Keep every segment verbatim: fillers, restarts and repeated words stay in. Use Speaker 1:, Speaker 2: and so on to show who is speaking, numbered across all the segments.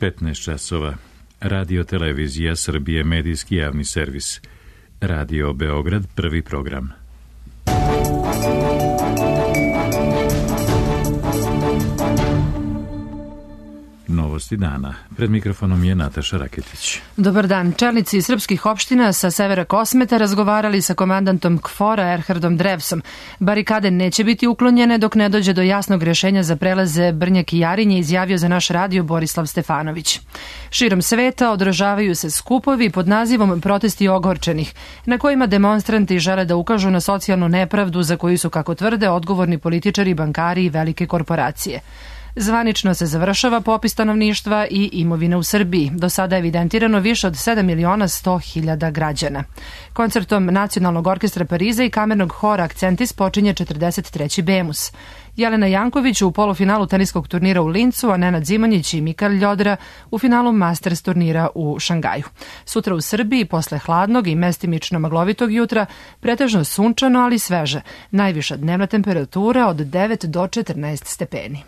Speaker 1: petnaest časova. Radio Televizija Srbije, medijski javni servis. Radio Beograd, prvi program. Novosti dana. Pred mikrofonom je Nataša Raketić.
Speaker 2: Dobar dan. Čelnici srpskih opština sa severa Kosmeta razgovarali sa komandantom KFOR-a Erhardom Drevsom. Barikade neće biti uklonjene dok ne dođe do jasnog rješenja za prelaze Brnjak i Jarinje, izjavio za naš radio Borislav Stefanović. Širom sveta održavaju se skupovi pod nazivom Protesti ogorčenih, na kojima demonstranti žele da ukažu na socijalnu nepravdu za koju su, kako tvrde, odgovorni političari, bankari i velike korporacije. Zvanično se završava popis stanovništva i imovine u Srbiji. Do sada je evidentirano više od sedam miliona sto hiljada građana. Koncertom Nacionalnog orkestra Pariza i kamernog hora Akcentis počinje četrdeset treći Bemus. Jelena Janković u polufinalu teniskog turnira u Lincu, a Nenad Zimonjić i Mikael Ljodra u finalu Masters turnira u Šangaju. Sutra u Srbiji, posle hladnog i mestimično maglovitog jutra, pretežno sunčano, ali sveže. Najviša dnevna temperatura od devet do četrnaest stepeni.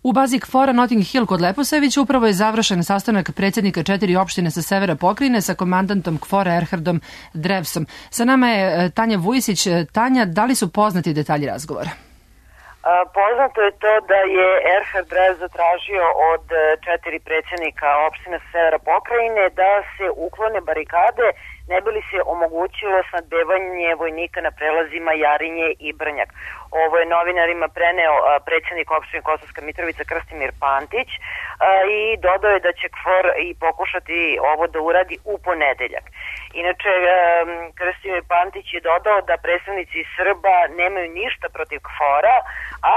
Speaker 2: U bazi KFOR-a Notting Hill kod Leposavića upravo je završen sastanak predsjednika četiri opštine sa severa pokrajine sa komandantom KFOR-a Erhardom Drevsom. Sa nama je Tanja Vujisić. Tanja, da li su poznati detalji razgovora?
Speaker 3: Poznato je to da je Erhard Drevs zatražio od četiri predsjednika opština sa severa pokrajine da se uklone barikade, ne bi li se omogućilo snabdevanje vojnika na prelazima Jarinje i Brnjak. Ovo je novinarima preneo predsjednik opštine Kosovska Mitrovica Krstimir Pantić i dodao je da će KFOR i pokušati ovo da uradi u ponedeljak. Inače, Krstimir Pantić je dodao da predstavnici Srba nemaju ništa protiv KFOR-a,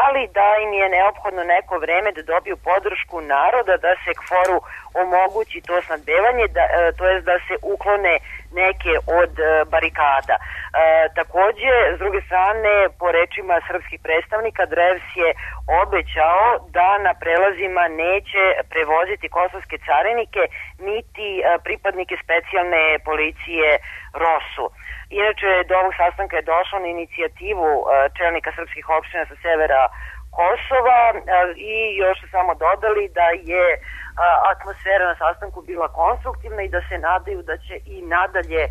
Speaker 3: ali da im je neophodno neko vreme da dobiju podršku naroda da se KFOR-u omogući to snabdevanje, da, to jest da se uklone neke od barikada. E, takođe, s druge strane, po rečima srpskih predstavnika, Drevs je obećao da na prelazima neće prevoziti kosovske carinike niti pripadnike specijalne policije ROSU. Inače, do ovog sastanka je došlo na inicijativu čelnika srpskih opština sa severa Kosova i još su samo dodali da je atmosfera na sastanku bila konstruktivna i da se nadaju da će i nadalje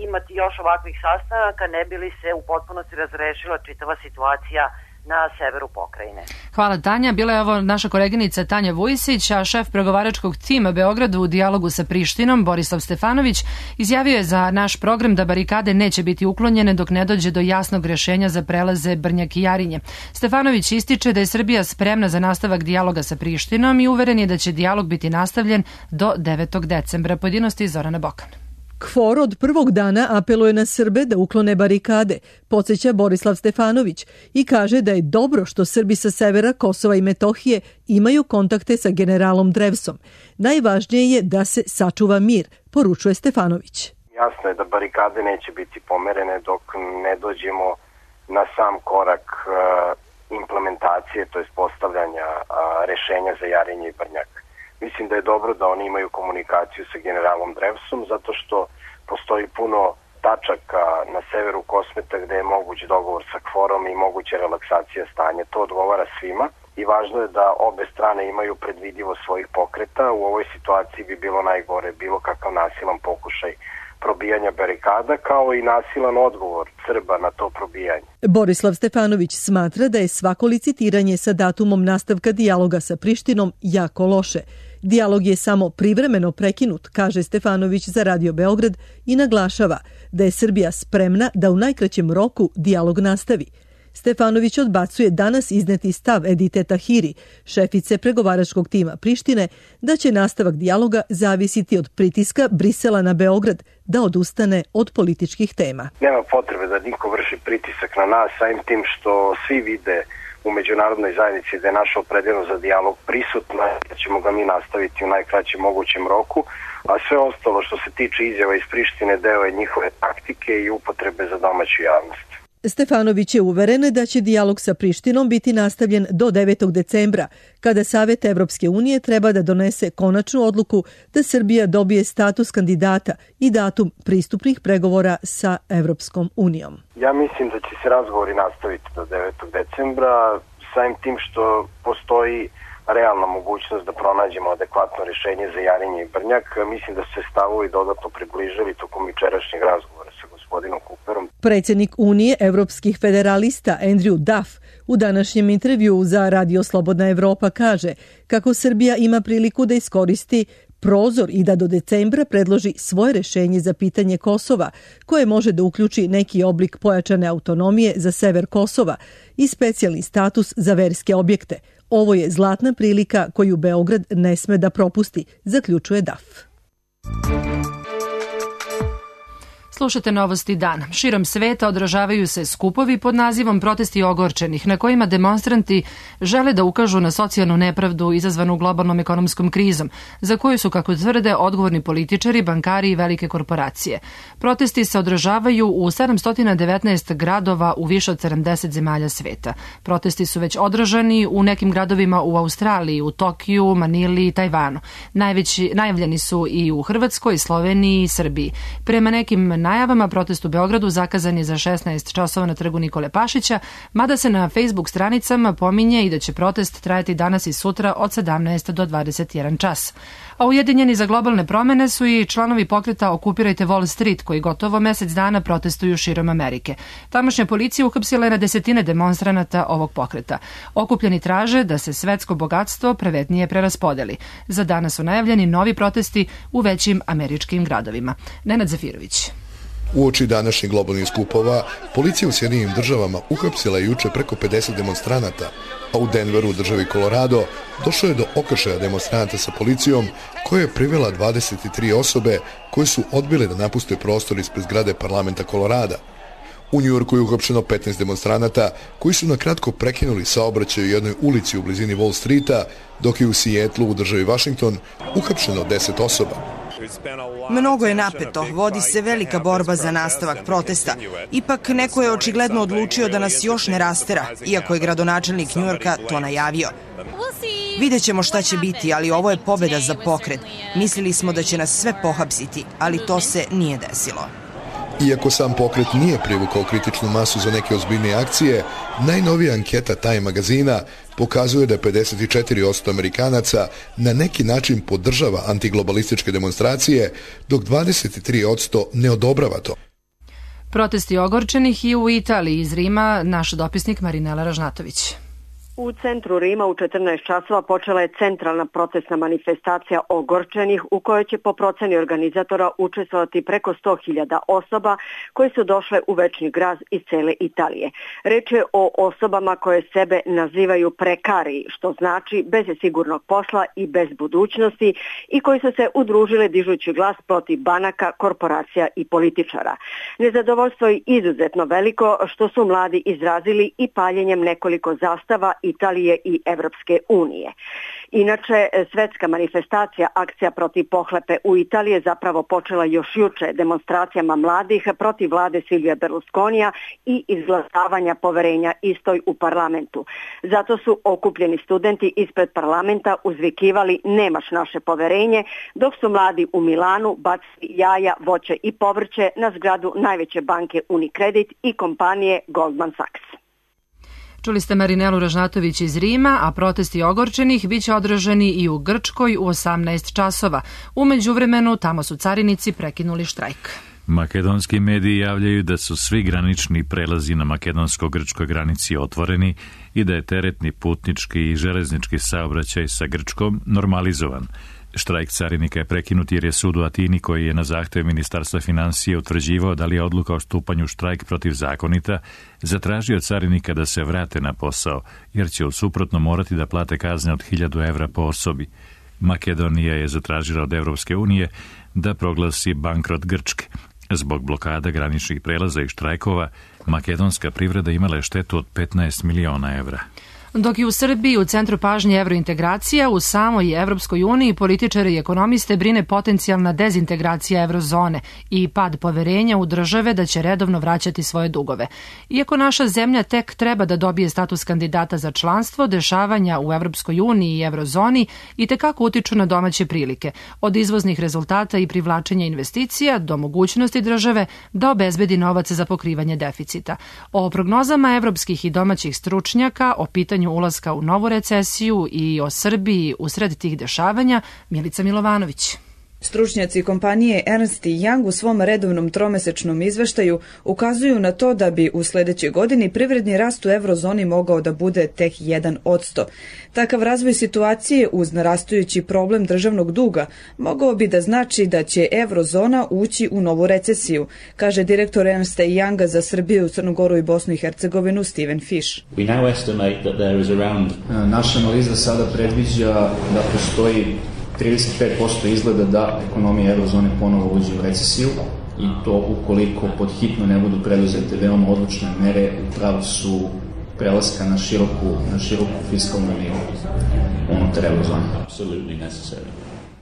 Speaker 3: imati još ovakvih sastanaka, ne bi li se u potpunosti razrešila čitava situacija na severu pokrajine.
Speaker 2: Hvala, Tanja. Bila je ovo naša koleginica Tanja Vujisić, a šef pregovaračkog tima Beogradu u dijalogu sa Prištinom, Borislav Stefanović, izjavio je za naš program da barikade neće biti uklonjene dok ne dođe do jasnog rješenja za prelaze Brnjak i Jarinje. Stefanović ističe da je Srbija spremna za nastavak dijaloga sa Prištinom i uveren je da će dijalog biti nastavljen do devetog decembra. Pojedinosti Zorana Bokan.
Speaker 4: KFOR od prvog dana apeluje na Srbe da uklone barikade, podsjeća Borislav Stefanović i kaže da je dobro što Srbi sa severa Kosova i Metohije imaju kontakte sa generalom Drevsom. Najvažnije je da se sačuva mir, poručuje Stefanović.
Speaker 5: Jasno je da barikade neće biti pomerene dok ne dođemo na sam korak implementacije, to je postavljanja rešenja za Jarinje i Brnjak. Mislim da je dobro da oni imaju komunikaciju sa generalom Drevsom, zato što postoji puno tačaka na severu Kosmeta gde je moguć dogovor sa KFOR-om i moguća relaksacija stanja. To odgovara svima i važno je da obe strane imaju predvidivo svojih pokreta. U ovoj situaciji bi bilo najgore bilo kakav nasilan pokušaj probijanja barikada, kao i nasilan odgovor Srba na to probijanje.
Speaker 4: Borislav Stefanović smatra da je svako licitiranje sa datumom nastavka dijaloga sa Prištinom jako loše. Dijalog je samo privremeno prekinut, kaže Stefanović za Radio Beograd i naglašava da je Srbija spremna da u najkraćem roku dijalog nastavi. Stefanović odbacuje danas izneti stav Edite Tahiri, šefice pregovaračkog tima Prištine, da će nastavak dijaloga zavisiti od pritiska Brisela na Beograd da odustane od političkih tema.
Speaker 5: Nema potrebe da niko vrši pritisak na nas, samim tim što svi vide u međunarodnoj zajednici da je naša opredeljenost za dijalog prisutna, da ćemo ga mi nastaviti u najkraćem mogućem roku, a sve ostalo što se tiče izjava iz Prištine deo je njihove taktike i upotrebe za domaću javnost.
Speaker 4: Stefanović je uveren da će dijalog sa Prištinom biti nastavljen do devetog decembra, kada Savet Evropske unije treba da donese konačnu odluku da Srbija dobije status kandidata i datum pristupnih pregovora sa Evropskom unijom.
Speaker 5: Ja mislim da će se razgovori nastaviti do devetog decembra. samim tim što postoji realna mogućnost da pronađemo adekvatno rešenje za Jarinje i Brnjak, mislim da se stavovi dodatno približili tokom jučerašnjeg razgovora sa gospodinom Cooperom.
Speaker 4: Predsjednik Unije evropskih federalista Andrew Duff u današnjem intervjuu za Radio Slobodna Evropa kaže kako Srbija ima priliku da iskoristi prozor i da do decembra predloži svoje rešenje za pitanje Kosova, koje može da uključi neki oblik pojačane autonomije za sever Kosova i specijalni status za verske objekte. Ovo je zlatna prilika koju Beograd ne sme da propusti, zaključuje Duff.
Speaker 2: Slušate Novosti dan. Širom sveta odražavaju se skupovi pod nazivom Protesti ogorčenih, na kojima demonstranti žele da ukažu na socijalnu nepravdu izazvanu globalnom ekonomskom krizom, za koju su, kako tvrde, odgovorni političari, bankari i velike korporacije. Protesti se odražavaju u sedamsto devetnaest gradova u više od sedamdeset zemalja sveta. Protesti su već održani u nekim gradovima u Australiji, u Tokiju, Manili i Tajvanu. Najveći, najavljeni su i u Hrvatskoj, Sloveniji i Srbiji. Prema nekim najavama protest u Beogradu zakazan je za šesnaest časova na trgu Nikole Pašića, mada se na Facebook stranicama pominje i da će protest trajati danas i sutra od sedamnaest do dvadeset jedan čas. A ujedinjeni za globalne promene su i članovi pokreta Okupirajte Wall Street, koji gotovo mesec dana protestuju širom Amerike. Tamošnja policija uhapsila je na desetine demonstranata ovog pokreta. Okupljeni traže da se svetsko bogatstvo pravednije preraspodeli. Za danas su najavljeni novi protesti u većim američkim gradovima. Nenad Zafirović.
Speaker 6: Uoči današnjih globalnih skupova, policija u Sjedinjenim državama uhapsila je juče preko pedeset demonstranata, a u Denveru, u državi Colorado, došlo je do okršaja demonstranata sa policijom, koja je privela dvadeset tri osobe koje su odbile da napuste prostor ispred zgrade parlamenta Kolorada. U Njujorku je uhapšeno petnaest demonstranata koji su na kratko prekinuli saobraćaj u jednoj ulici u blizini Wall Streeta, dok je u Sijetlu, u državi Washington, uhapšeno deset osoba.
Speaker 7: Mnogo je napeto, vodi se velika borba za nastavak protesta. Ipak neko je očigledno odlučio da nas još ne rastera, iako je gradonačelnik Njujorka to najavio. Vidjet ćemo šta će biti, ali ovo je pobjeda za pokret. Mislili smo da će nas sve pohapsiti, ali to se nije desilo.
Speaker 6: Iako sam pokret nije privukao kritičnu masu za neke ozbiljnije akcije, najnovija anketa Time magazina pokazuje da pedeset četiri posto Amerikanaca na neki način podržava antiglobalističke demonstracije, dok dvadeset tri posto ne odobrava to.
Speaker 2: Protesti ogorčenih i u Italiji. Iz Rima naš dopisnik Marinela Ražnatović.
Speaker 8: U centru Rima u četrnaest časova počela je centralna protestna manifestacija ogorčenih u kojoj će po proceni organizatora učestvovati preko sto hiljada osoba koje su došle u večni grad iz cele Italije. Reč je o osobama koje sebe nazivaju prekari, što znači bez sigurnog posla i bez budućnosti, i koji su se udružile dižući glas protiv banaka, korporacija i političara. Nezadovoljstvo je izuzetno veliko, što su mladi izrazili i paljenjem nekoliko zastava Italije i Evropske unije. Inače, svetska manifestacija Akcija protiv pohlepe u Italiji je zapravo počela još juče demonstracijama mladih protiv vlade Silvija Berlusconija i izglasavanja poverenja istoj u parlamentu. Zato su okupljeni studenti ispred parlamenta uzvikivali nemaš naše poverenje, dok su mladi u Milanu bacili jaja, voće i povrće na zgradu najveće banke Unicredit i kompanije Goldman Sachs.
Speaker 2: Čuli ste Marinelu Ražnatović iz Rima, a protesti ogorčenih biće održani i u Grčkoj u osamnaest časova. U međuvremenu tamo su carinici prekinuli štrajk.
Speaker 1: Makedonski mediji javljaju da su svi granični prelazi na makedonsko-grčkoj granici otvoreni i da je teretni, putnički i železnički saobraćaj sa Grčkom normalizovan. Štrajk carinika je prekinut jer je sud u Atini, koji je na zahtev Ministarstva financije utvrđivao da li je odluka o stupanju štrajk protivzakonita, zatražio carinika da se vrate na posao, jer će u suprotno morati da plate kazne od hiljadu evra po osobi. Makedonija je zatražila od Evropske unije da proglasi bankrot Grčke. Zbog blokada graničnih prelaza i štrajkova, makedonska privreda imala je štetu od petnaest miliona evra.
Speaker 2: Dok je u Srbiji u centru pažnje evrointegracija, u samoj Evropskoj uniji političari i ekonomiste brine potencijalna dezintegracija evrozone i pad poverenja u države da će redovno vraćati svoje dugove. Iako naša zemlja tek treba da dobije status kandidata za članstvo, dešavanja u Evropskoj uniji i evrozoni i tekako utiču na domaće prilike, od izvoznih rezultata i privlačenja investicija do mogućnosti države da obezbedi novac za pokrivanje deficita. O prognozama evropskih i domaćih stručnjaka, o pitanju rizikiranju ulaska u novu recesiju i o Srbiji usred tih dešavanja Milica Milovanović.
Speaker 9: Stručnjaci kompanije Ernst and Young u svom redovnom tromesečnom izveštaju ukazuju na to da bi u sledećoj godini privredni rast u eurozoni mogao da bude tek jedan posto. Takav razvoj situacije uz narastajući problem državnog duga mogao bi da znači da će eurozona ući u novu recesiju, kaže direktor Ernst and Younga za Srbiju, Crnu Goru i Bosnu i Hercegovinu Steven Fish.
Speaker 10: Naša analiza sada predviđa da postoji trideset pet posto izgleda da ekonomija eurozone ponovo uđe u recesiju i to ukoliko pod hitno ne budu preduzete veoma odlučne mere u pravcu prelaska na široku, na široku fiskalnu liniju unutar eurozone.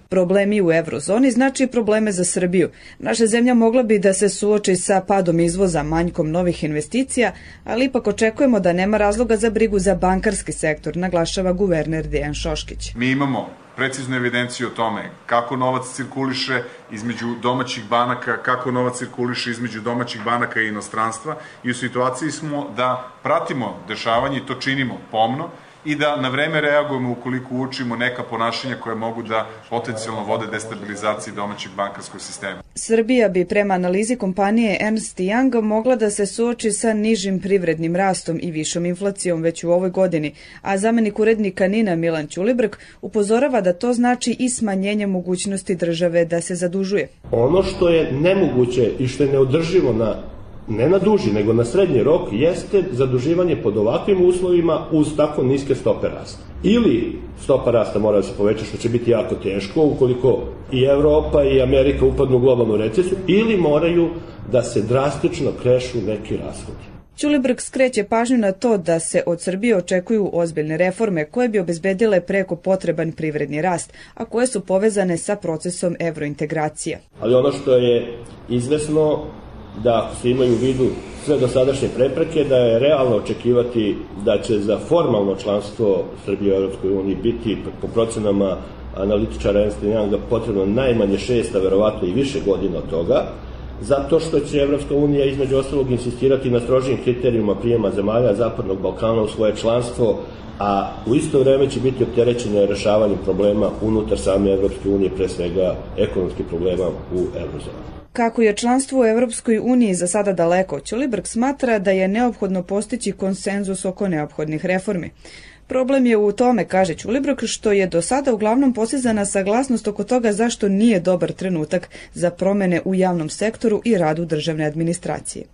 Speaker 9: Problemi u eurozoni znači probleme za Srbiju. Naša zemlja mogla bi da se suoči sa padom izvoza, manjkom novih investicija, ali ipak očekujemo da nema razloga za brigu za bankarski sektor, naglašava guverner Dejan Šoškić.
Speaker 11: Mi imamo preciznu evidenciju o tome kako novac cirkuliše između domaćih banaka, kako novac cirkuliše između domaćih banaka i inostranstva i u situaciji smo da pratimo dešavanje i to činimo pomno i da na vreme reagujemo ukoliko uočimo neka ponašanja koje mogu da potencijalno vode destabilizaciji domaćeg bankarskog sistema.
Speaker 9: Srbija bi prema analizi kompanije Ernst and Young mogla da se suoči sa nižim privrednim rastom i višom inflacijom već u ovoj godini, a zamenik urednika Nina Milan Ćulibrk upozorava da to znači i smanjenje mogućnosti države da se zadužuje.
Speaker 12: Ono što je nemoguće i što je neodrživo na ne na duži, nego na srednji rok, jeste zaduživanje pod ovakvim uslovima uz tako niske stope rasta. Ili stopa rasta mora da se poveća, što će biti jako teško ukoliko i Evropa i Amerika upadnu u globalnu recesiju, ili moraju da se drastično krešu neki rashodi.
Speaker 9: Ćulibrk skreće pažnju na to da se od Srbije očekuju ozbiljne reforme koje bi obezbedile preko potreban privredni rast, a koje su povezane sa procesom evrointegracija.
Speaker 12: Ali ono što je izvesno da se imaju u vidu sve dosadašnje prepreke, da je realno očekivati da će za formalno članstvo Srbije u Europskoj uniji biti po procenama analitičara Ernst and Younga potrebno najmanje šest, a verovatno i više godina od toga, zato što će Evropska unija između ostalog insistirati na strožijim kriterijima prijema zemalja Zapadnog Balkana u svoje članstvo, a u isto vreme će biti opterećene rešavanjem problema unutar same Evropske unije, pre svega ekonomskih problema u eurozoni.
Speaker 9: Kako je članstvo u Evropskoj uniji za sada daleko, Ćulibrk smatra da je neophodno postići konsenzus oko neophodnih reformi. Problem je u tome, kaže Ćulibrk, što je do sada uglavnom postizana saglasnost oko toga zašto nije dobar trenutak za promene u javnom sektoru i radu državne administracije.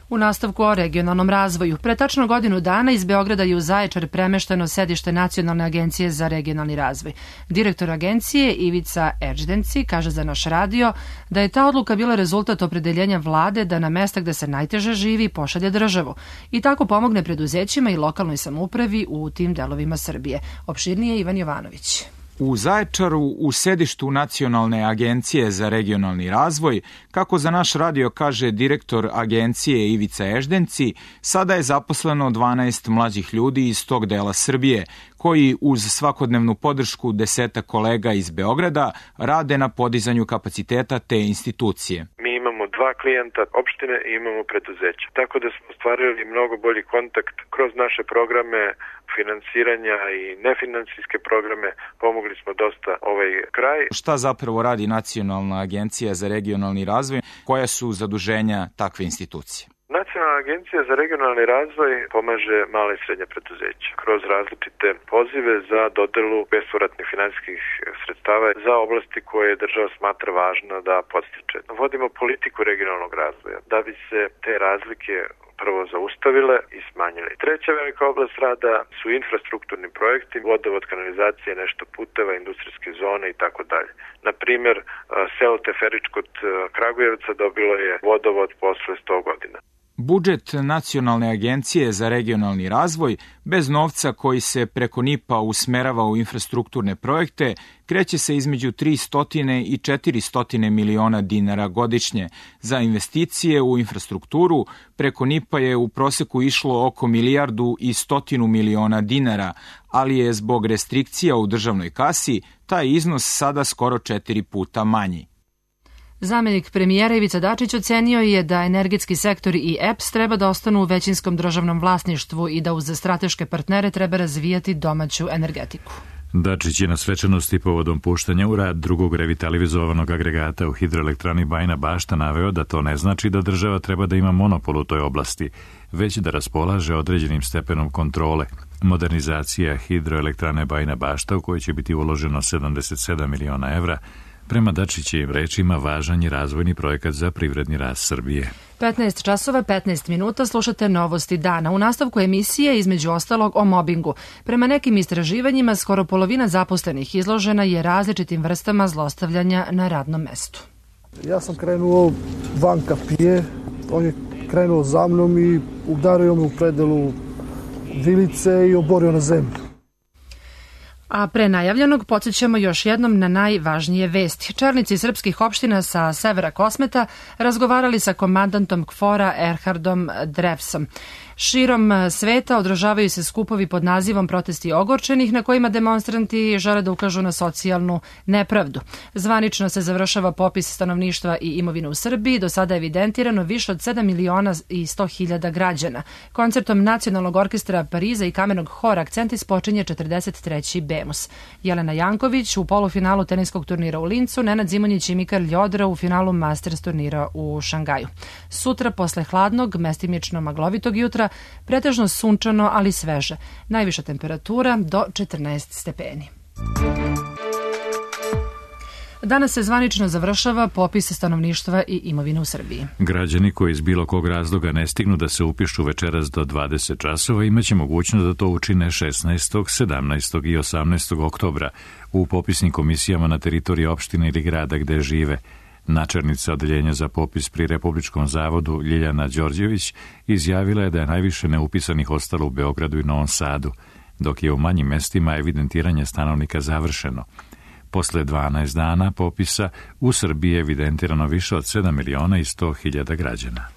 Speaker 2: U nastavku o regionalnom razvoju, pre tačno godinu dana iz Beograda je u Zaječar premešteno sedište Nacionalne agencije za regionalni razvoj. Direktor agencije Ivica Eždenci kaže za naš radio da je ta odluka bila rezultat opredeljenja vlade da na mesta gde se najteže živi pošalje državu i tako pomogne preduzećima i lokalnoj samoupravi u tim delovima Srbije. Opširnije Ivan Jovanović.
Speaker 13: U Zaječaru, u sedištu Nacionalne agencije za regionalni razvoj, kako za naš radio kaže direktor agencije Ivica Eždenci, sada je zaposleno dvanaest mlađih ljudi iz tog dela Srbije, koji uz svakodnevnu podršku deseta kolega iz Beograda rade na podizanju kapaciteta te institucije.
Speaker 14: Mi imamo dva klijenta opštine i imamo preduzeća. Tako da smo ostvarili mnogo bolji kontakt kroz naše programe finansiranja i nefinansijske programe, pomogli smo dosta ovaj kraj.
Speaker 13: Šta zapravo radi Nacionalna agencija za regionalni razvoj? Koja su zaduženja takve institucije?
Speaker 14: Nacionalna agencija za regionalni razvoj pomaže male i srednje preduzeća kroz različite pozive za dodelu bespovratnih finansijskih sredstava za oblasti koje država smatra važna da podstiče. Vodimo politiku regionalnog razvoja da bi se te razlike prvo zaustavile i smanjile. Treća velika oblast rada su infrastrukturni projekti, vodovod, kanalizacije, nešto puteva, industrijske zone i tako dalje. Na primjer, selo Teferić kod Kragujevca dobilo je vodovod posle sto godina.
Speaker 13: Budžet Nacionalne agencije za regionalni razvoj, bez novca koji se preko N I P-a usmerava u infrastrukturne projekte, kreće se između tristo i četiristo miliona dinara godišnje. Za investicije u infrastrukturu preko N I P-a je u proseku išlo oko milijardu i stotinu miliona dinara, ali je zbog restrikcija u državnoj kasi taj iznos sada skoro četiri puta manji.
Speaker 2: Zamenik premijera Ivica Dačić ocenio je da energetski sektor i E P S treba da ostanu u većinskom državnom vlasništvu i da uz strateške partnere treba razvijati domaću energetiku.
Speaker 1: Dačić je na svečanosti povodom puštanja u rad drugog revitalizovanog agregata u hidroelektrani Bajina Bašta naveo da to ne znači da država treba da ima monopol u toj oblasti, već da raspolaže određenim stepenom kontrole. Modernizacija hidroelektrane Bajina Bašta, u kojoj će biti uloženo sedamdeset sedam miliona evra, prema Dačićevim rečima važan je razvojni projekat za privredni rast Srbije.
Speaker 2: petnaest časova petnaest minuta slušate novosti dana. U nastavku emisije između ostalog o mobingu. Prema nekim istraživanjima skoro polovina zaposlenih izložena je različitim vrstama zlostavljanja na radnom mestu.
Speaker 15: Ja sam krenuo van kapije, on je krenuo za mnom i udario me u predelu vilice i oborio na zemlju.
Speaker 2: A pre najavljenog podsjećamo još jednom na najvažnije vesti. Čelnici srpskih opština sa severa Kosmeta razgovarali sa komandantom KFOR-a Erhardom Drevsom. Širom sveta održavaju se skupovi pod nazivom Protesti ogorčenih, na kojima demonstranti žele da ukažu na socijalnu nepravdu. Zvanično se završava popis stanovništva i imovine u Srbiji. Do sada je evidentirano više od sedam miliona i sto hiljada građana. Koncertom Nacionalnog orkestra Pariza i kamernog hora Akcentis počinje četrdeset treći Bemus. Jelena Janković u polufinalu teniskog turnira u Lincu, Nenad Zimonjić i Mikael Ljodra u finalu Masters turnira u Šangaju. Sutra posle hladnog, mestimično maglovitog jutra, pretežno sunčano, ali sveže. Najviša temperatura do četrnaest stepeni. Danas se zvanično završava popis stanovništva i imovine u Srbiji.
Speaker 1: Građani koji iz bilo kog razloga ne stignu da se upišu večeras do dvadeset časova imaće mogućnost da to učine šesnaestog, sedamnaestog i osamnaestog oktobra u popisnim komisijama na teritoriji opštine ili grada gde žive. Načelnica odeljenja za popis pri Republičkom zavodu Ljiljana Đorđević izjavila je da je najviše neupisanih ostalo u Beogradu i Novom Sadu, dok je u manjim mestima evidentiranje stanovnika završeno. Posle dvanaest dana popisa u Srbiji je evidentirano više od sedam miliona i sto hiljada građana.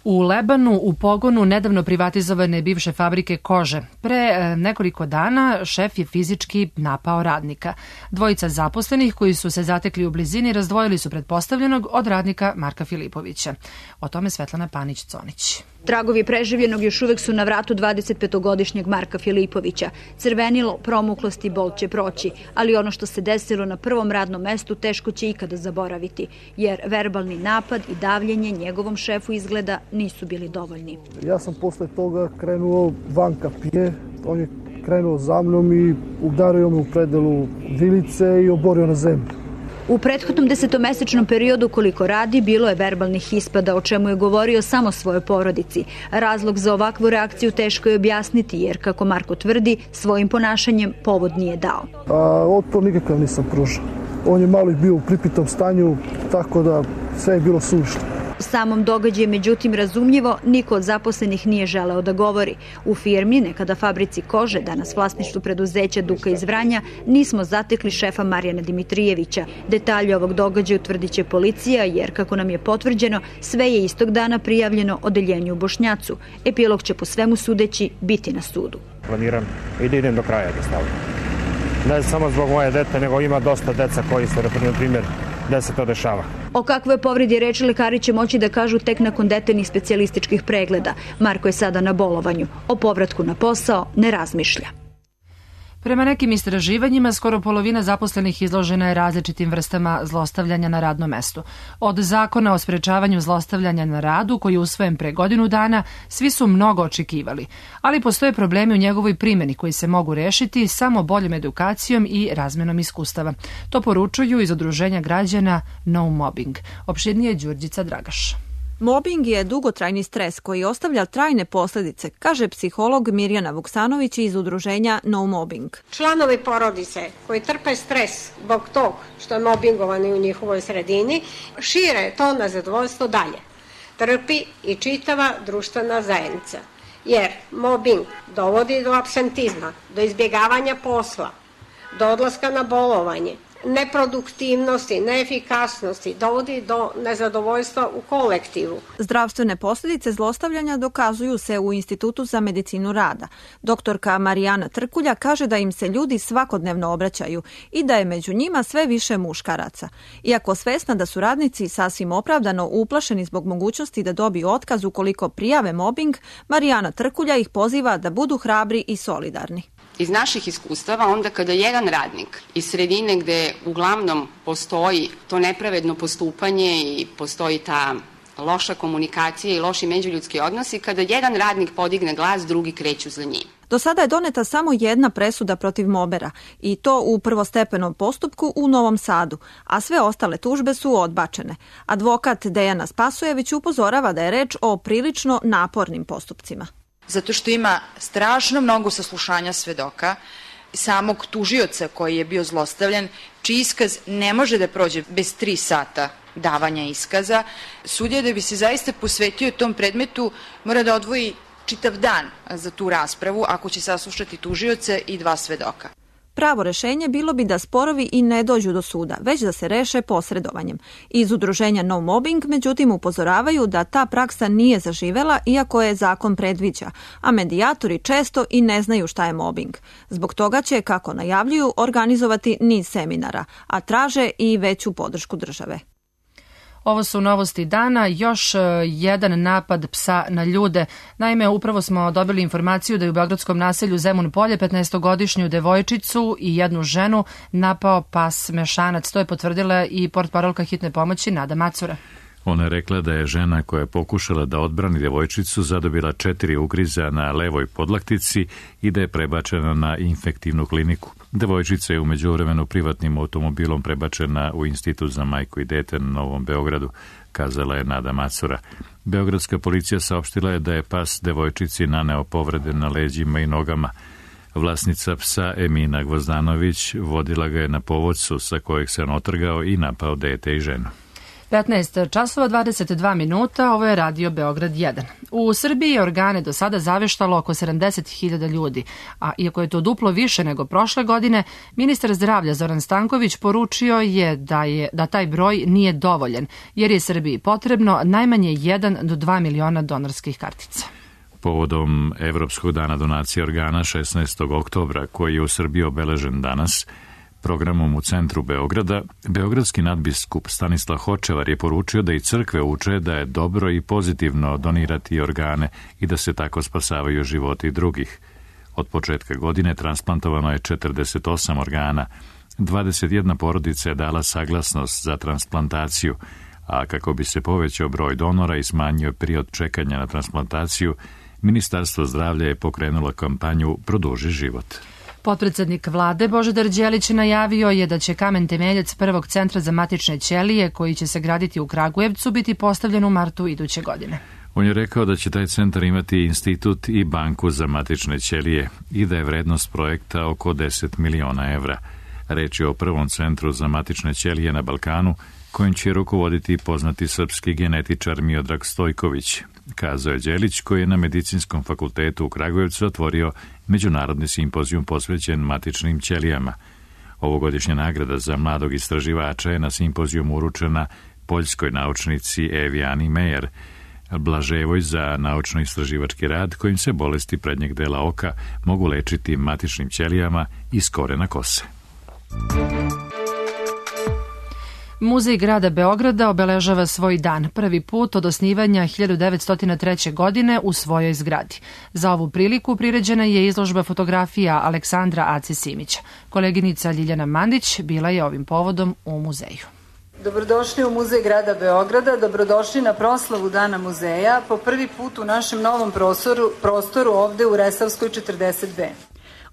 Speaker 2: U Lebanu u pogonu nedavno privatizovane bivše fabrike kože. Pre e, nekoliko dana šef je fizički napao radnika. Dvojica zaposlenih koji su se zatekli u blizini razdvojili su pretpostavljenog od radnika Marka Filipovića. O tome Svetlana Panić-Conić.
Speaker 16: Tragovi preživljenog još uvek su na vratu dvadesetpetogodišnjeg Marka Filipovića. Crvenilo, promuklost i bol će proći, ali ono što se desilo na prvom radnom mestu teško će ikada zaboraviti, jer verbalni napad i davljenje njegovom šefu izgleda nisu bili dovoljni.
Speaker 15: Ja sam posle toga krenuo van kapije, on je krenuo za mnom i udario me u predelu vilice i oborio na zemlju.
Speaker 16: U prethodnom desetomesečnom periodu koliko radi, bilo je verbalnih ispada, o čemu je govorio samo svojoj porodici. Razlog za ovakvu reakciju teško je objasniti, jer, kako Marko tvrdi, svojim ponašanjem povod nije dao.
Speaker 15: A otpor nikakav nisam pružao. On je malo bio u pripitom stanju, tako da sve je bilo suvišno.
Speaker 16: U samom događaju, međutim, razumljivo, niko od zaposlenih nije želeo da govori. U firmi, nekada fabrici kože, danas vlasništvu preduzeća Duka iz Vranja, nismo zatekli šefa Marijana Dimitrijevića. Detalje ovog događaja utvrdit će policija, jer, kako nam je potvrđeno, sve je istog dana prijavljeno odeljenju u Bošnjacu. Epilog će po svemu sudeći biti na sudu.
Speaker 17: Planiram i da idem do kraja da stavljam. Ne samo zbog moje dete, nego ima dosta deca koji se, na primjer, da se to dešava.
Speaker 16: O kakvoj povredi reči lekari će moći da kažu tek nakon detaljnih specijalističkih pregleda. Marko je sada na bolovanju. O povratku na posao ne razmišlja.
Speaker 2: Prema nekim istraživanjima, skoro polovina zaposlenih izložena je različitim vrstama zlostavljanja na radnom mestu. Od zakona o sprečavanju zlostavljanja na radu, koji je usvojen pre godinu dana, svi su mnogo očekivali. Ali postoje problemi u njegovoj primjeni koji se mogu rešiti samo boljom edukacijom i razmenom iskustava. To poručuju iz Udruženja građana No Mobbing. Opširnije Đurđica Dragaš.
Speaker 18: Mobing je dugotrajni stres koji ostavlja trajne posljedice, kaže psiholog Mirjana Vuksanović iz udruženja No Mobbing.
Speaker 19: Članovi porodice koji trpe stres zbog tog što je mobingovani u njihovoj sredini, šire to nezadovoljstvo dalje. Trpi i čitava društvena zajednica, jer mobing dovodi do apsentizma, do izbjegavanja posla, do odlaska na bolovanje, neproduktivnosti, neefikasnosti, dovodi do nezadovoljstva u kolektivu.
Speaker 18: Zdravstvene posljedice zlostavljanja dokazuju se u Institutu za medicinu rada. Doktorka Marijana Trkulja kaže da im se ljudi svakodnevno obraćaju i da je među njima sve više muškaraca. Iako svesna da su radnici sasvim opravdano uplašeni zbog mogućnosti da dobiju otkaz ukoliko prijave mobing, Marijana Trkulja ih poziva da budu hrabri i solidarni.
Speaker 20: Iz naših iskustava, onda kada jedan radnik iz sredine gde uglavnom postoji to nepravedno postupanje i postoji ta loša komunikacija i loši međuljudski odnosi, kada jedan radnik podigne glas, drugi kreću za njim.
Speaker 18: Do sada je doneta samo jedna presuda protiv mobera i to u prvostepenom postupku u Novom Sadu, a sve ostale tužbe su odbačene. Advokat Dejana Spasojević upozorava da je reč o prilično napornim postupcima.
Speaker 21: Zato što ima strašno mnogo saslušanja svedoka, samog tužioca koji je bio zlostavljan, čiji iskaz ne može da prođe bez tri sata davanja iskaza. Sudija da bi se zaista posvetio tom predmetu mora da odvoji čitav dan za tu raspravu ako će saslušati tužioca i dva svedoka.
Speaker 18: Pravo rešenje bilo bi da sporovi i ne dođu do suda, već da se reše posredovanjem. Iz udruženja No Mobbing, međutim, upozoravaju da ta praksa nije zaživela iako je zakon predviđa, a medijatori često i ne znaju šta je mobbing. Zbog toga će, kako najavljuju, organizovati niz seminara, a traže i veću podršku države.
Speaker 2: Ovo su novosti dana, još jedan napad psa na ljude. Naime, upravo smo dobili informaciju da je u beogradskom naselju Zemun Polje petnaestogodišnju devojčicu i jednu ženu napao pas mešanac. To je potvrdila i portparolka hitne pomoći Nada Macura.
Speaker 1: Ona je rekla da je žena koja je pokušala da odbrani devojčicu zadobila četiri ugriza na levoj podlaktici i da je prebačena na infektivnu kliniku. Devojčica je u međuvremenu privatnim automobilom prebačena u Institut za majku i dete na Novom Beogradu, kazala je Nada Macura. Beogradska policija saopštila je da je pas devojčici naneo povrede na leđima i nogama. Vlasnica psa Emina Gvozdanović vodila ga je na povodcu sa kojeg se on otrgao i napao dete i ženu.
Speaker 2: petnaest časova dvadeset dva minuta, ovo je Radio Beograd jedan. U Srbiji je organe do sada zaveštalo oko sedamdeset hiljada ljudi, a iako je to duplo više nego prošle godine, ministar zdravlja Zoran Stanković poručio je da, je da taj broj nije dovoljan, jer je Srbiji potrebno najmanje jedan do dva miliona donorskih kartica.
Speaker 1: Povodom Evropskog dana donacije organa šesnaestog oktobra, koji je u Srbiji obeležen danas, programom u centru Beograda, beogradski nadbiskup Stanislav Hočevar je poručio da i crkve uče da je dobro i pozitivno donirati organe i da se tako spasavaju životi drugih. Od početka godine transplantovano je četrdeset osam organa, dvadeset jedna porodica je dala saglasnost za transplantaciju, a kako bi se povećao broj donora i smanjio period čekanja na transplantaciju, Ministarstvo zdravlja je pokrenulo kampanju Produži život.
Speaker 2: Potpredsednik vlade Božidar Đelić najavio je da će kamen temeljac prvog centra za matične ćelije, koji će se graditi u Kragujevcu, biti postavljen u martu iduće godine.
Speaker 1: On je rekao da će taj centar imati institut i banku za matične ćelije i da je vrednost projekta oko deset miliona evra. Reč je o prvom centru za matične ćelije na Balkanu, kojim će rukovoditi poznati srpski genetičar Miodrag Stojković, kazao je Đelić, koji je na Medicinskom fakultetu u Kragujevcu otvorio međunarodni simpozijum posvećen matičnim ćelijama. Ovogodišnja nagrada za mladog istraživača je na simpozijumu uručena poljskoj naučnici Evi Ani Mejer Blaževoj za naučno-istraživački rad kojim se bolesti prednjeg dela oka mogu lečiti matičnim ćelijama iz korena kose.
Speaker 2: Muzej grada Beograda obeležava svoj dan, prvi put od osnivanja hiljadu devetsto treće. godine u svojoj zgradi. Za ovu priliku priređena je izložba fotografija Aleksandra Ace Simića. Koleginica Ljiljana Mandić bila je ovim povodom u muzeju.
Speaker 22: Dobrodošli u Muzej grada Beograda, dobrodošli na proslavu Dana muzeja, po prvi put u našem novom prostoru, prostoru ovde u Resavskoj četrdeset dve.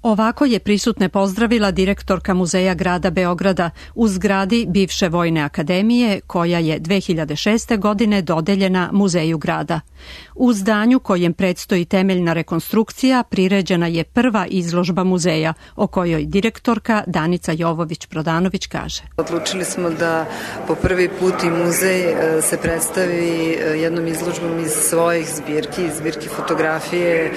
Speaker 23: Ovako je prisutne pozdravila direktorka Muzeja grada Beograda u zgradi bivše Vojne akademije, koja je dve hiljade šeste. godine dodeljena Muzeju grada. U zdanju kojem predstoji temeljna rekonstrukcija priređena je prva izložba muzeja, o kojoj direktorka Danica Jovović-Prodanović kaže.
Speaker 22: Odlučili smo da po prvi put i muzej se predstavi jednom izložbom iz svojih zbirki, zbirki fotografije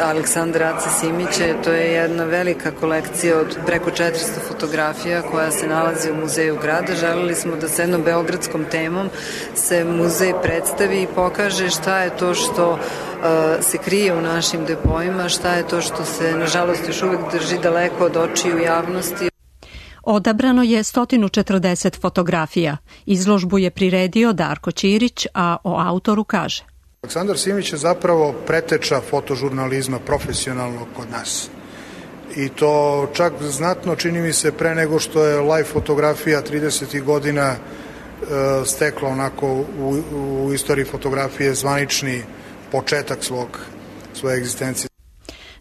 Speaker 22: Aleksandra Ace Simića. To je jedna velika kolekcija od preko četiristo fotografija koja se nalazi u Muzeju grada. Želeli smo da sa jednom beogradskom temom se muzej predstavi i pokaže šta je to što uh, se krije u našim depoima, šta je to što se nažalost još uvek drži daleko od očiju javnosti.
Speaker 23: Odabrano je sto četrdeset fotografija. Izložbu je priredio Darko Ćirić, a o autoru kaže:
Speaker 3: Aleksandar Simić je zapravo preteča fotožurnalizma profesionalnog kod nas. I to čak znatno, čini mi se, pre nego što je live fotografija tridesetih godina e, stekla onako u, u istoriji fotografije zvanični početak svog, svoje egzistencije.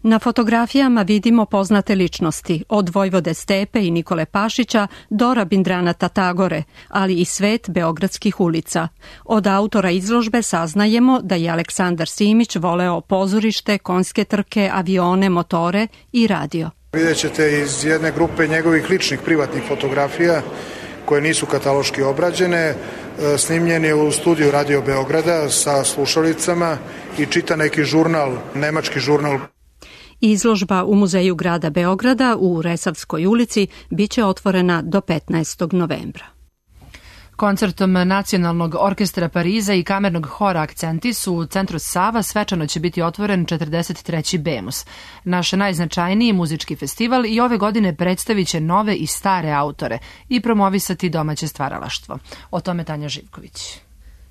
Speaker 23: Na fotografijama vidimo poznate ličnosti, od Vojvode Stepe i Nikole Pašića do Rabindranata Tagore, ali i svet beogradskih ulica. Od autora izložbe saznajemo da je Aleksandar Simić voleo pozorište, konjske trke, avione, motore i radio.
Speaker 3: Vidjet ćete iz jedne grupe njegovih ličnih privatnih fotografija koje nisu kataloški obrađene, snimljen je u studiju Radio Beograda sa slušalicama i čita neki žurnal, nemački žurnal.
Speaker 23: Izložba u Muzeju grada Beograda u Resavskoj ulici biće otvorena do petnaestog novembra.
Speaker 2: Koncertom Nacionalnog orkestra Pariza i kamernog hora Akcenti su u centru Sava svečano će biti otvoren četrdeset treći Bemus. Naš najznačajniji muzički festival i ove godine predstavit će nove i stare autore i promovisati domaće stvaralaštvo. O tome Tanja Živković.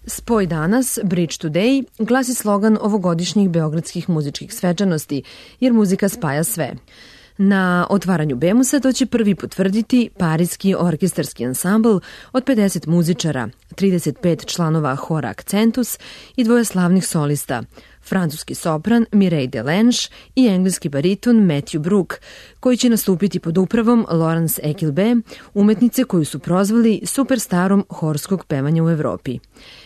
Speaker 4: Spoj danas, Bridge Today, glasi slogan ovogodišnjih beogradskih muzičkih svečanosti, jer muzika spaja sve. Na otvaranju Bemusa to će prvi potvrditi parijski orkestarski ansambl od pedeset muzičara, trideset pet članova hora Accentus i dvoje slavnih solista, francuski sopran Mireille Delange i engleski bariton Matthew Brook, koji će nastupiti pod upravom Laurence Ekilbe, umetnice koju su prozvali superstarom horskog pevanja u Evropi.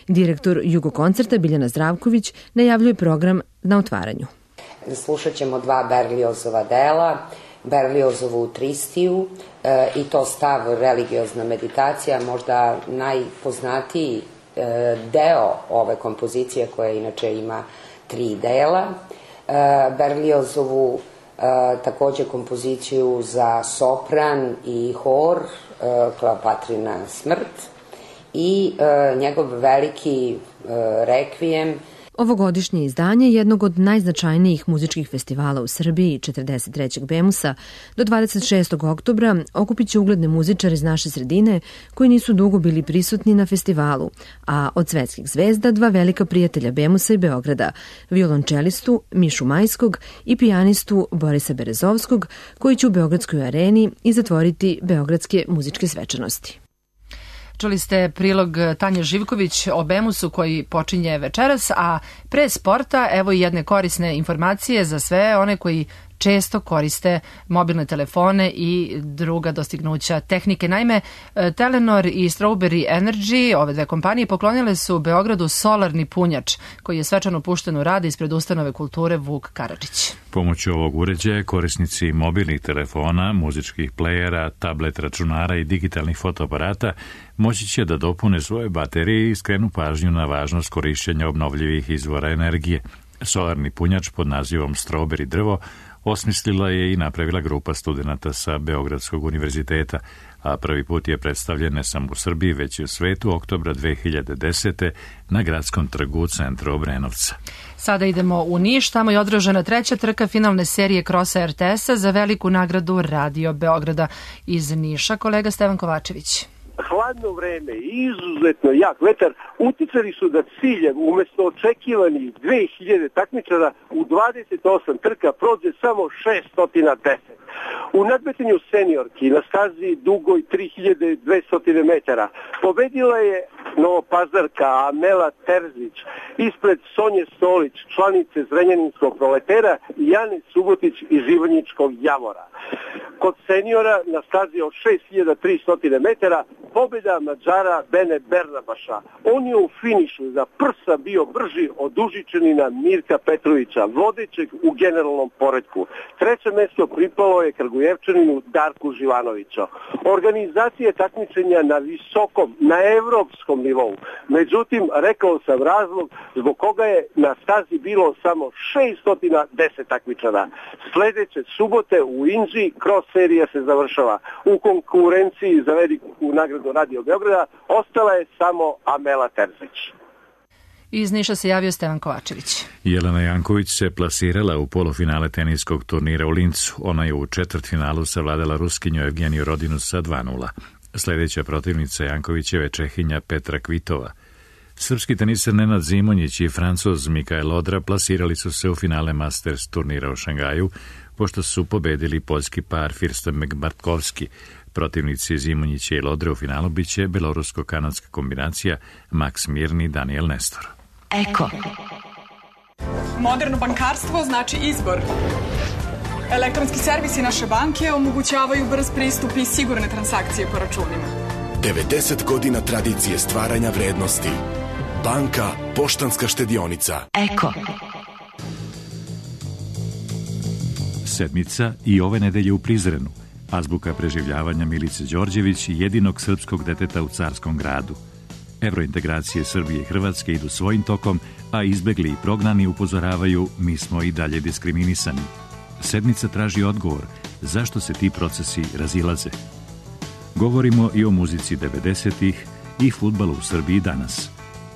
Speaker 4: Direktor Jugokoncerta Biljana Zdravković najavljuje program na otvaranju.
Speaker 5: Slušat ćemo dva Berliozova dela, Berliozovu Tristiju e, i to stav religiozna meditacija, možda najpoznatiji e, deo ove kompozicije koja inače ima tri dela. E, Berliozovu e, takođe kompoziciju za sopran i hor, e, Kleopatrina smrt i e, njegov veliki e, rekvijem.
Speaker 4: Ovogodišnje izdanje jednog od najznačajnijih muzičkih festivala u Srbiji, četrdeset trećeg Bemusa, do dvadeset šestog oktobra okupit će ugledne muzičare iz naše sredine koji nisu dugo bili prisutni na festivalu, a od svetskih zvezda dva velika prijatelja Bemusa i Beograda, violončelistu Mišu Majskog i pijanistu Borisa Berezovskog, koji će u Beogradskoj areni i zatvoriti beogradske muzičke svečanosti.
Speaker 2: Čuli ste prilog Tanje Živković o Bemusu koji počinje večeras, a pre sporta evo i jedne korisne informacije za sve one koji često koriste mobilne telefone i druga dostignuća tehnike. Naime, Telenor i Strawberry Energy, ove dve kompanije, poklonile su Beogradu solarni punjač koji je svečano pušten u rad ispred ustanove kulture Vuk Karadžić.
Speaker 1: Pomoću ovog uređaja korisnici mobilnih telefona, muzičkih plejera, tablet računara i digitalnih fotoaparata moći će da dopune svoje baterije i skrenu pažnju na važnost korišćenja obnovljivih izvora energije. Solarni punjač pod nazivom Strawberry drvo osmislila je i napravila grupa studenata sa Beogradskog univerziteta, a prvi put je predstavljen ne samo u Srbiji, već i u svetu oktobra dve hiljade desete. na gradskom trgu u centru Obrenovca.
Speaker 2: Sada idemo u Niš, tamo je održana treća trka finalne serije krosa er te esa za veliku nagradu Radio Beograda. Iz Niša, kolega Stevan Kovačević.
Speaker 24: Hladno vreme i izuzetno jak vetar uticali su da ciljem umesto očekivanih dve hiljade takmičara u dvadeset osam trka prođe samo šesto deset. U nadmetanju seniorki na stazi dugoj tri hiljade dvesta metara pobedila je novopazarka Amela Terzić ispred Sonje Stolić, članice Zrenjaninskog proletera, i Jane Subotić iz Ivanjičkog Javora. Kod seniora na stazi od šest hiljada tristo metara pobjeda Mađara Bene Bernabaša. On je u finišu za prsa bio brži od Užičanina Mirka Petrovića, vodećeg u generalnom poretku. Treće mesto pripalo je Kragujevčaninu Darku Živanoviću. Organizacija takmičenja na visokom, na evropskom nivou. Međutim, rekao sam razlog zbog koga je na stazi bilo samo šeststo deset takmičara. Sljedeće subote u Inđiji cross serija se završava. U konkurenciji za veliku nagradu Radio Beograda ostala je samo Amela Terzić.
Speaker 2: Iz Niša se javio Stevan Kovačević.
Speaker 1: Jelena Janković se plasirala u polufinale teniskog turnira u Lincu. Ona je u četvrtfinalu savladala Ruskinju Evgeniju Rodinu sa dva nula. Sljedeća protivnica Jankovićeve Čehinja Petra Kvitova. Srpski teniser Nenad Zimonjić i Francuz Mikael Odra plasirali su se u finale Masters turnira u Šangaju, pošto su pobedili poljski par Firstemek Bartkovski. Protivnici Zimonjića i Lodre u finalu biće belorusko-kanadska kombinacija Max Mirni i Daniel Nestor.
Speaker 6: Eko. Moderno bankarstvo znači izbor. Elektronski servisi naše banke omogućavaju brz pristup i sigurne transakcije po računima.
Speaker 7: devedeset godina tradicije stvaranja vrednosti. Banka Poštanska štedionica.
Speaker 6: Eko.
Speaker 1: Sedmica i ove nedelje u Prizrenu. Azbuka preživljavanja Milice Đorđević, jedinog srpskog deteta u Carskom gradu. Evrointegracije Srbije i Hrvatske idu svojim tokom, a izbegli i prognani upozoravaju mi smo i dalje diskriminisani. Sedmica traži odgovor zašto se ti procesi razilaze. Govorimo i o muzici devedesetih i fudbalu u Srbiji danas.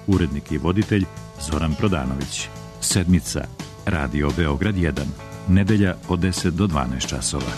Speaker 1: Urednik i voditelj Zoran Prodanović. Sedmica, Radio Beograd jedan. Nedelja od deset do dvanaest časova.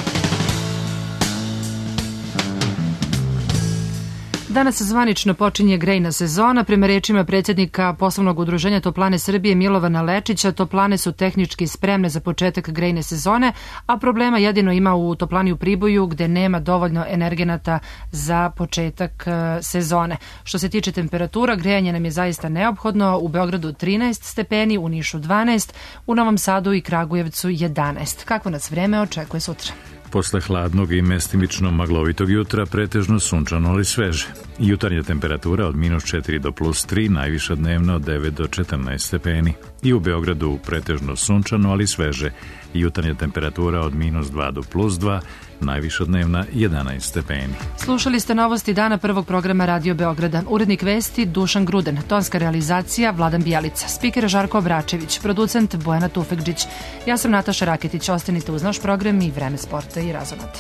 Speaker 2: Danas zvanično počinje grejna sezona. Prema rečima predsjednika poslovnog udruženja Toplane Srbije Milovana Lečića, toplane su tehnički spremne za početak grejne sezone, a problema jedino ima u toplani u Priboju gde nema dovoljno energenata za početak sezone. Što se tiče temperatura, grejanje nam je zaista neophodno. U Beogradu trinaest stepeni, u Nišu dvanaest, u Novom Sadu i Kragujevcu jedanaest. Kako nas vreme očekuje sutra?
Speaker 1: Posle hladnog i mestimično maglovitog jutra pretežno sunčano ali sveže. Jutarnja temperatura od minus četiri do plus tri, najviša dnevno od devet do četrnaest stepeni. I u Beogradu pretežno sunčano ali sveže. Jutarnja temperatura od minus dva do plus dva, najviša dnevna jedanaest stepeni.
Speaker 2: Slušali ste novosti dana prvog programa Radio Beograda. Urednik vesti Dušan Gruden, tonska realizacija Vladan Bijelica, spiker Žarko Obračević, producent Bojana Tufekđić. Ja sam Nataša Raketić, ostanite uz naš program i Vreme sporta i razonate.